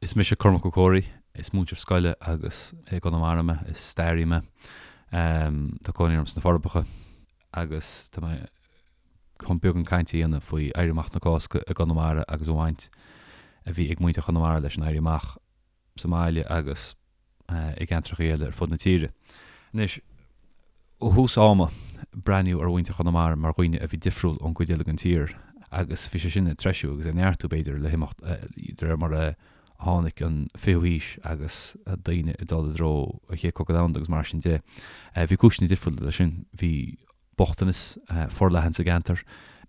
Is mise Cormac Ó Comhraí, is múinteoir scoile agus i gConamara mé, is staraí mé. Tá cónaí orm sna Forbacha agus tá mé chun beagán cainte a dhéanamh faoi Éirí Amach na Cásca i gConamara agus an bhaint a bhí ag muintir Chonamara leis an Éirí Amach sa mbaile agus i gceantracha eile ar fud na tíre. Anois, ó thús ama, breathnaíodh ar mhuintir Chonamara mar dhaoine a bhí difriúil ón gcuid eile den tír agus bhí sé sin ag treisiú agus ag neartú, b'fhéidir, le himeacht de réir mar a tháinig an fichiú haois agus daoine ag dul i dtreo an Chéad Chogadh Domhanda agus mar sin de. Bhí cúiseanna difriúla leis sin. Bhí bochtanas forleathan sa gceantar.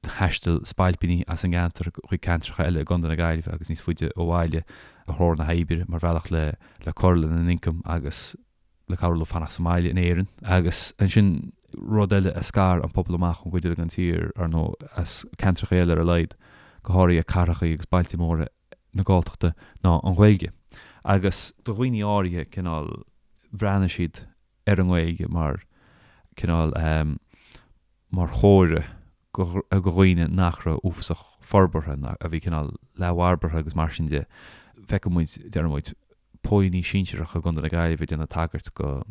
Thaistil spailpíní as an gceantar chuig ceantracha eile i gContae na Gaillimhe agus níos faide ó bhaile ar thóir na hoibre mar bhealach le cur lena n-ioncam agus le cabhrú leo fanacht sa mbaile in Éirinn. Agus ansin rud eile a scar an pobal amach ón gcuid eile den tír, ar ndóigh, as ceantracha eile ar a laghad, go háirithe cathracha agus bailte móra na Galltachta, ná an Ghaeilge. Agus do dhaoine áirithe, cineál, bhreathnaigh siad ar an nGaeilge mar cineál mar chomhartha do dhaoine nach raibh uafasach forbartha, a bhí cineál leathbharbartha agus mar sin de. Feiceann muid, deireann muid, póilíní sinsearacha i gContae na Gaillimhe ag déanamh tagairt go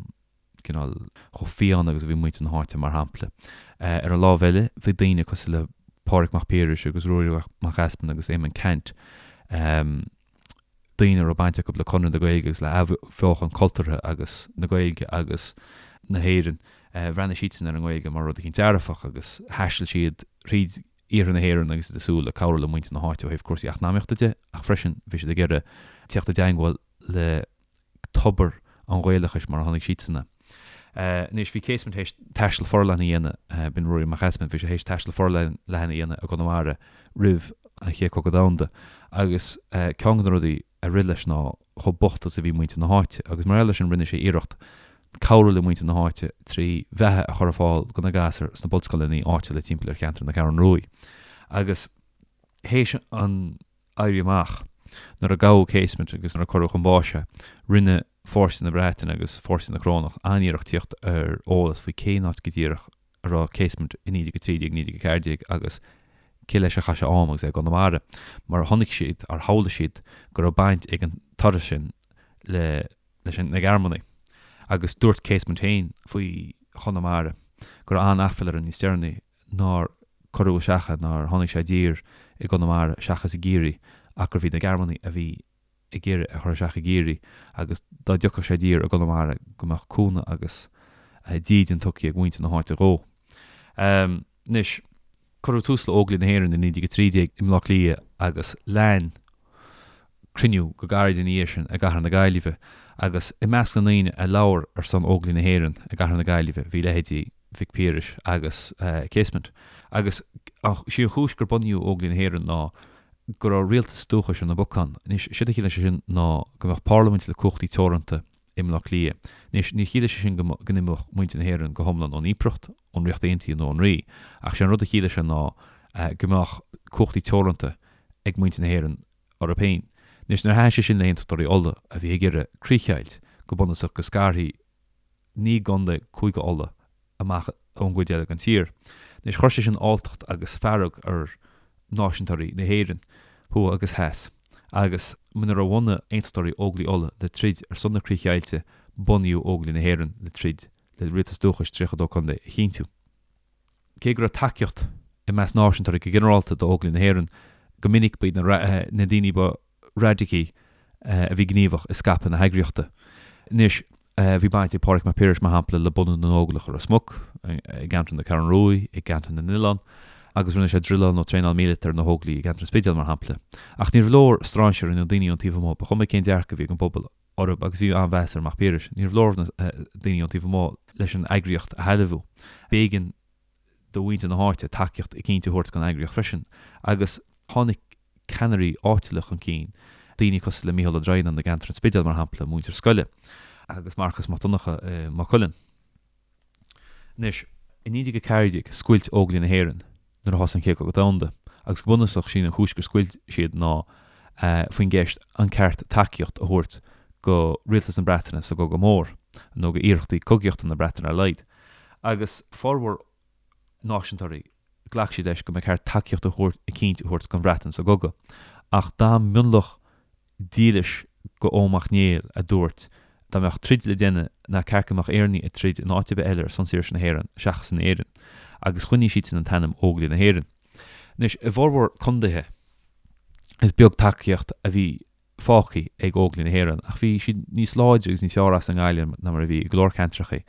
cineál chomh fiáin agus a bhí muintir na háite, mar shampla. Ar an lámh eile, bhí daoine cosúil le Pádraig Mac Piarais agus Ruairí Mac Easmainn agus Éamonn Ceannt, daoine a raibh baint acu le Conradh na Gaeilge agus le athbheochan cultúrtha agus na Gaeilge agus na hÉireann. Bhreathnaigh siadsan ar an nGaeilge mar rud eicínt dearfach agus thaistil siad thríd iarthar na hÉireann agus iad ag súil le cabhrú le muintir na háite ó thaobh cúrsaí eacnamaíochta de ach freisin bhí siad ag iarraidh teacht i dteangmháil le tobar an Ghaelachais mar a chonaic siadsan é. Anois, bhí Casement théis taisteal forleathan a dhéanamh, b'in Ruairí Mac Easmainn, bhí sé théis taisteal forleathan a dhéanamh i gConamara roimh an Chéad Chogadh Domhanda agus ceann de na rudaí a rith leis ná chomh bocht is a bhí muintir na háite agus mar gheall air sin rinne sé iarracht cabhrú le muintir na háite trí bheatha a chur ar fáil do na gasúir sna bunscoileanna áitiúla timpeall ar cheantar na Ceathrún Ruaidh. Agus théis an Éirí Amach. Nuair a gabhadh Casement agus nuair a cuireadh chun báis é, rinne fórsaí na Breataine agus fórsaí na Corónach an-iarracht tíocht ar eolas faoi cén áit go díreach a raibh Casement i 1913, 1914 agus cé leis a chaith sé am agus é i gConamara, mar chonaic siad, ar shamhlaigh siad, go raibh baint ag an turas sin le leis na Gearmánaigh. Agus dúirt Casement féin faoi Chonamara go raibh an-aiféala air níos deireanaí nár cuireadh isteach é, nár tháinig sé i dtír i gConamara seachas i gCiarraí, ach gurbh iad na Gearmánaigh a bhí ag iarraidh é a chur isteach i gCiarraí agus dá dtiocfadh sé i dtír i gConamara go mbeadh cúnamh agus dídean tugtha ag muintir na háite dhó. Anois, cuireadh tús le Óglaigh na hÉireann i 1913 i mBleá Cliath agus lean cruinniú go gairid ina dhiaidh sin i gcathair na Gaillimhe agus i measc na ndaoine a labhair ar son Óglaigh na Héireann i gcathair na Gaillimhe bhí leithéidí Mhic Piarais agus Casement. Agus sí an chúis gur bunaíodh Óglaigh na hÉireann ná go raibh rialtas dúchais ar na bacáin. Anois, séard a chiallaigh sé sin ná go mbeadh parlaimint le cumhachtaí teoranta i mBleá Cliath. Anois, níor chiallaigh sé sin go n-imeodh muintir na hÉireann go hiomlán ón impireacht, ón Ríocht Aontaithe nó ón Rí, ach sé an rud a chiallaigh sé ná go mbeadh cumhachtaí teoranta ag muintir na hÉireann orthu féin. Anois, níor thaitin sé sin le hAontachtóirí Uladh a bhí ag iarraidh críochdheighilt, go bunúsach go scarfaí 9 gcontae Cúige Uladh amach ón gcuid eile den tír. Anois, chuir sé sin alltacht agus fearg ar náisiúntóirí na hÉireann, thuaidh agus theas, agus mura bhunaigh Aontachtóirí Óglaigh Uladh le troid ar son na críochdheighilte, bunaíodh Óglaigh na hÉireann le troid le rialtas dúchais 32 contae a chinntiú. Cé go raibh tacaíocht i measc náisiúntóirí go ginearálta d'Óglaigh na hÉireann, go minic ba iad na daoine ba raidicí a bhí gníomhach i scaipeadh na heagraíochta. Anois, bhí baint ag Pádraig Mac Piarais, mar shampla, le bunú na nÓglach i Ros Muc, i gceantar na Ceathrún Ruaidh, i gceantar na nOileán, agus rinne sé druileáil nó traenáil míleata ar na hÓglaigh i gceantar an Spidéil, mar shampla. Ach níorbh leor strainséirí nó daoine ón taobh amuigh, ba chuma cén dearcadh a bhí ag an bpobal orthu, agus bhí an-mheas ar Mac Piarais, níorbh leor na daoine ón taobh amuigh leis an eagraíocht a shealbhú. B'éigean do mhuintir na háite tacaíocht eicínt a thabhairt don eagraíocht freisin, agus tháinig ceannairí áitiúla chun cinn, daoine cosúil le Mícheál Ó Droighneáin i gceantar an Spidéil, mar shampla, múinteoir scoile, agus Marcas Mac Donncha i Maigh Cuilinn. Anois, i 1914, scoilt Óglaigh na hÉireann nuair a thosaigh an Chéad Chogadh Domhanda, agus go bunúsach, sí'n an chúis gur scoilt siad ná faoin gceist an ceart tacaíocht a thabhairt go Rialtas na Breataine sa gCogadh Mór, nó go iarrachtaí cogaíochta na Breataine ar a laghad. Agus formhór náisiúntóirí, ghlac siad leis go mba cheart tacaíocht a thabhairt eicínt a thabhairt don Bhreatain sa gcogadh. Ach d'fhan mionlach dílis go Eoin Mac Néill a dúirt dá mbeadh troid le déanamh nach ceart go mbeadh Éireannaigh ag troid in áit ar bith eile ar son saoirse na hÉireann seachas in Éirinn, agus choinnigh siadsan an t-ainm Óglaigh na hÉireann. Anois, i bhformhór condaetha, is beag tacaíocht a bhí fágtha ag Óglaigh na hÉireann, ach bhí siad níos láidre agus níos fearr as i nGaillimh ná mar a bhí i go leor ceantracha.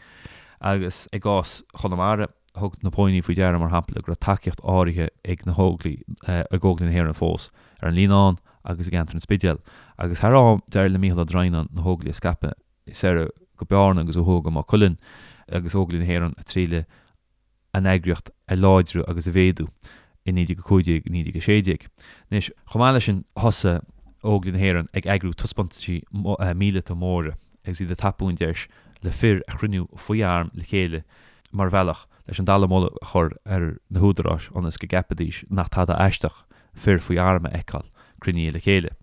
Agus i gcás Chonamara, thug na póilíní faoi deara, mar shampla, go raibh tacaíocht áirithe ag na hÓglaigh, ag Óglaigh na hÉireann fós, ar an Líonán agus i gceantar an Spidéil. Agus thar am, d'éirigh le Mícheál Ó Droighneáin na hÓglaigh a scaipeadh soir go Bearna agus ó thuaidh go Maigh Cuilinn, agus Óglaigh na hÉireann ag triail an eagraíocht a láidriú agus a mhéadú i 1915, 1916. Anois, chomh maith leis sin, thosaigh Óglaigh na hÉireann ag eagrú taispeántaisí míleata móra agus iad ag tapú an deis le fir a chruinniú faoi arm le chéile mar bhealach leis an dallamullóg a chur ar na húdaráis ionas go gceapfaidís nach tada aisteach fir faoi arm a fheiceáil cruinnithe le chéile.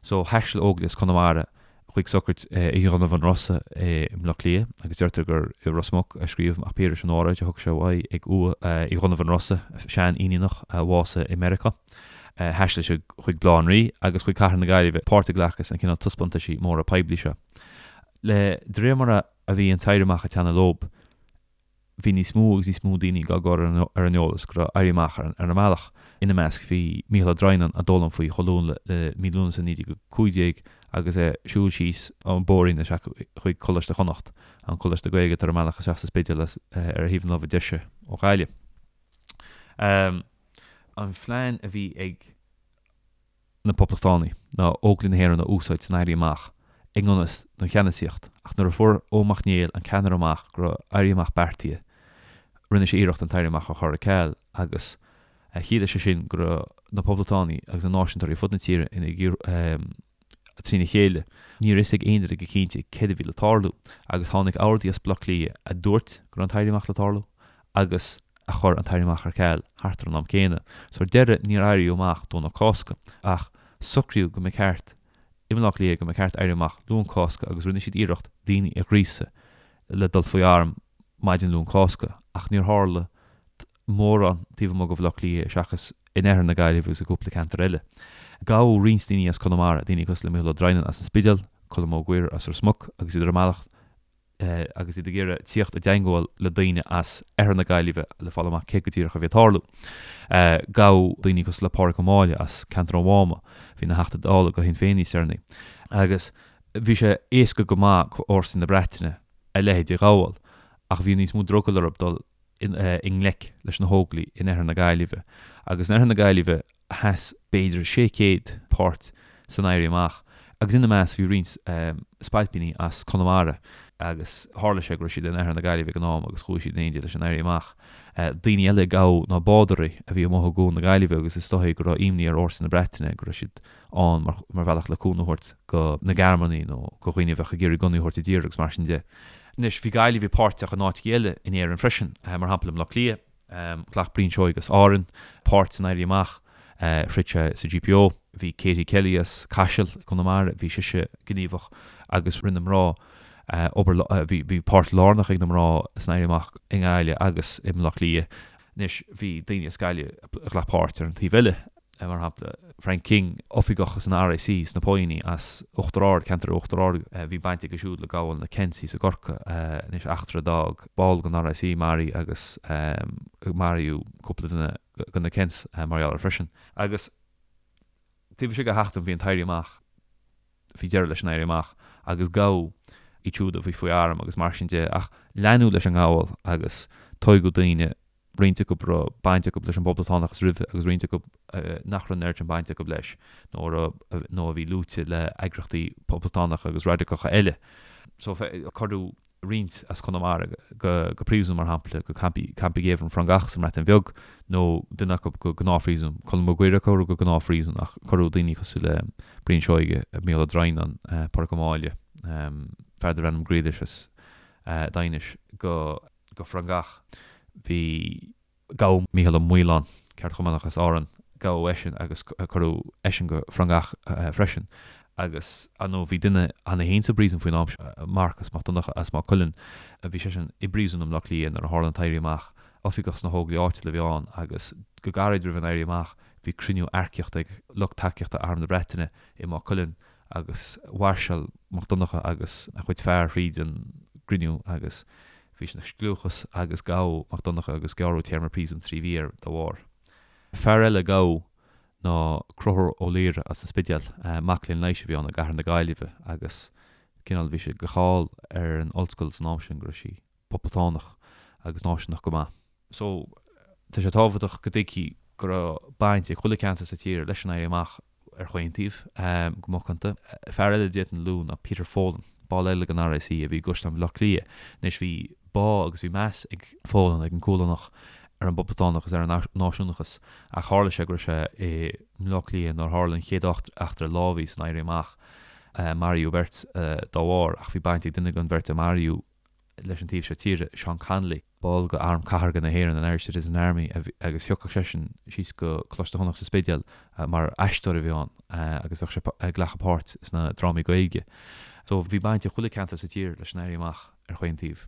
So, thaistil Óglaigh as Conamara chuig socraid Uí Dhonnabháin Rosa i mBleá Cliath agus deirtear gur i Ros Muc a scríobh Mac Piarais an óráid a thug sé uaidh ag uaigh Uí Dhonnabháin Rosa, sean-Fhíníneach a bhásaigh i Meiriceá. Thaistil siad chuig Baile Átha an Rí agus chuig Cathair na Gaillimhe páirt a ghlacadh sna cineál taispeántaisí móra poiblí seo. Le de réir mar a bhí an t-éirí amach ag teannadh leob, bhí níos mó agus níos mó daoine á gcur ar an eolas go raibh éirí amach ar an mbealach. Ina measc bhí Mícheál Ó Droighneáin a d'fhoghlaim faoi chomh luath le mí Lúnasa 1915 agus é ag siúl síos an bóithrín isteach chuig Coláiste Chonnacht, an coláiste Gaeilge atá ar an mbealach isteach sa Spidéal ar thaobh na láimhe deise ó Ghaillimh. An phlean a bhí ag. na Poblachtánaigh ná Óglaigh na hÉireann a úsáid san Éirí Amach i ngan fhios don cheannasaíocht, ach nuair a fuair Eoin Mac Néill an ceannaire amach go raibh Éirí Amach beartaithe, rinne sé iarracht an t-Éirí Amach a chur ar ceal agus chiallaigh sé sin go raibh na Poblachtánaigh agus na Náisiúntóirí ar fud na tíre ina trína chéile. Ní raibh fhios ag aon duine go cinnte céard a bhí le tarlú agus tháinig ordaí as Baile Átha Cliath a dúirt go raibh an t-éirí amach le tarlú agus a chuir an t-éirí amach ar ceal thart ar an am céanna. So ar deireadh níor éiríodh amach Domhnach Cásca ach socraíodh go mba cheart i mBaile Átha Cliath go mba cheart éirí amach Luan Cásca agus rinne siad iarracht daoine a ghríosadh le dul faoi arm maidin Luan Cásca ach níor tharla mórán taobh amuigh de Bhaile Átha Cliath seachas in oirthear na Gaillimhe agus i gcúpla ceantar eile. Gabhadh roinnt daoine as Conamara, daoine cosúil le Mícheál Ó Droighneáin as an Spidéal, Colm Ó Gaora as Ros Muc agus iad ar a mbealach agus iad ag iarraidh tíocht i dteangmháil le daoine as oirthear na Gaillimhe le fáil amach céard go díreach a bhí ag tarlú. Gabhadh daoine cosúil le Pádraig Ó Máille as ceantar an Mháma, a bhí ina Theachta Dála do Shinn Féin níos deireanaí, agus bhí sé éasca go maith do fhórsaí na Breataine a leithéid a ghabháil ach bhí níos mó drogall orthu dul i ngleic leis na hÓglaigh in oirthear na Gaillimhe. Agus in oirthear na Gaillimhe sheas b'fhéidir 600 páirt san Éirí Amach agus ina measc bhí roinnt spailpíní as Conamara agus tharla sé go raibh siad in oirthear na Gaillimhe ag an am agus chuaigh siad in éindí leis an Éirí Amach. Daoine eile a gabhadh ná bádóirí a bhí amuigh i gCuan na Gaillimhe agus is dóigh go raibh imní ar fhórsaí na Breataine go raibh siad ann mar bhealach le cúnamh a thabhairt do na Gearmánaigh nó do dhaoine a bheadh ag iarraidh gunnaí a thabhairt i dtír agus mar sin de. Anois, bhí Gaillimhigh páirteach in áiteacha eile in Éirinn freisin, mar shampla i mBleá Cliath, ghlac Brian Seoighe as Árainn páirt san Éirí Amach, throid sé sa GPO, bhí Katie Kelly as Caiseal i gConamara, bhí sise gníomhach agus rinne mná obair, bhí páirt lárnach ag na mná san Éirí Amach i nGaillimh agus i mBleá Cliath. Anois, bhí daoine as Gaillimh a ghlac páirt ar an taobh eile. mar shampla, Frank King, oifigeach san RIC sna póilíní as Uachtar Ard, ceantar Uachtar Ard, bhí baint aige siúd le gabháil na Kents thíos i gCorcaigh, anois eachtra a d'fhág ball den RIC maraithe agus maraíodh cúpla duine de na Kents mar gheall air freisin. Agus taobh istigh de sheachtain bhí an t-éirí amach, bhí deireadh leis an éirí amach agus gabhadh iad siúd a bhí faoi arm agus mar sin de ach leanadh leis an ngabháil agus toghadh daoine roinnt acu a raibh baint acu leis an bpoblachtánachas roimhe agus roinnt acu nach raibh an oiread sin baint acu leis nó a raibh nó a bhí luaite le heagraíochtaí poblachtánacha agus raidiceacha eile. So cuireadh roinnt as Conamara go go príosún mar shampla, go campaí campa géibhinn Frongoch sa mBreatain Bheag nó duine acu go gnáthphríosún. Colm Mac Guaire a cuireadh go gnáthphríosún ach cuireadh daoine cosúil le Brian Seoighe, Mícheál Ó Droighneáin, Pádraig Ó Máille, fear darbh ainm Grealish as Daighinis go go Frongoch. Bhí. Gabhadh Mícheál Ó Maoláin, ceardchumannach as Árainn, gabhadh eisean agus cuireadh eisean go Frongoch freisin. Agus, ar ndóigh, bhí duine cheana féin sa bpríosún faoin am seo, Marcas Mac Donncha as Maigh Cuilinn. Bhí seisean i bpríosún i mBleá Cliath nuair a tharla an t-éirí amach. Oifigeach sna hÓglaigh áitiúla a bhí ann agus go gairid roimh an éirí amach bhí cruinniú earcaíochta ag lucht tacaíochta Arm na Breataine i Maigh Cuilinn. Agus mhairseáil Mac Donncha agus a chuid fear thríd an gcruinniú agus bhí sin ina scliúchas agus gabhadh Mac Donncha agus gearradh téarma príosúin 3 mhí air dá bharr. Fear eile a gabhadh ná Conchúr Ó Laoire as an Spidéal, mac léinn leighis a bhí ann i gcathair na Gaillimhe agus cineál bhí sé de cháil ar an ollscoil san am sin go raibh sí poblachtánach agus náisiúnach go maith. So tá sé tábhachtach go dtuigfí go raibh baint ag chuile ceantar sa tír leis an Éirí Amach ar chaon taobh, go macánta. Fear eile a d'fhéadfainn a lua ná Peter Folan, ball eile den RIC a bhí i gCaisleán Bhaile Átha Cliath. Anois bhí bá agus bhí meas ag Folan, ag an Cualánach, ar an bPoblachtánachas, ar an náisiúnachas ach tharla sé go raibh sé i mBaile Átha Cliath nuair a tharla an chéad eachtra lámhaigh san Éirí Amach. Maraíodh beirt dá bharr ach bhí baint ag duine den bheirt a maraíodh leis an taobh seo tíre, Seán Connolly, ball de Arm Cathartha na hÉireann, an Irish Citizen Army, agus thiocfadh seisean síos go Coláiste Chonnacht sa Spidéal mar aisteoir a bhí ann agus bheadh sé ag glacadh páirt sna drámaí Gaeilge. So bhí baint ag chuile ceantar sa tír leis an Éirí Amach ar chaon taobh.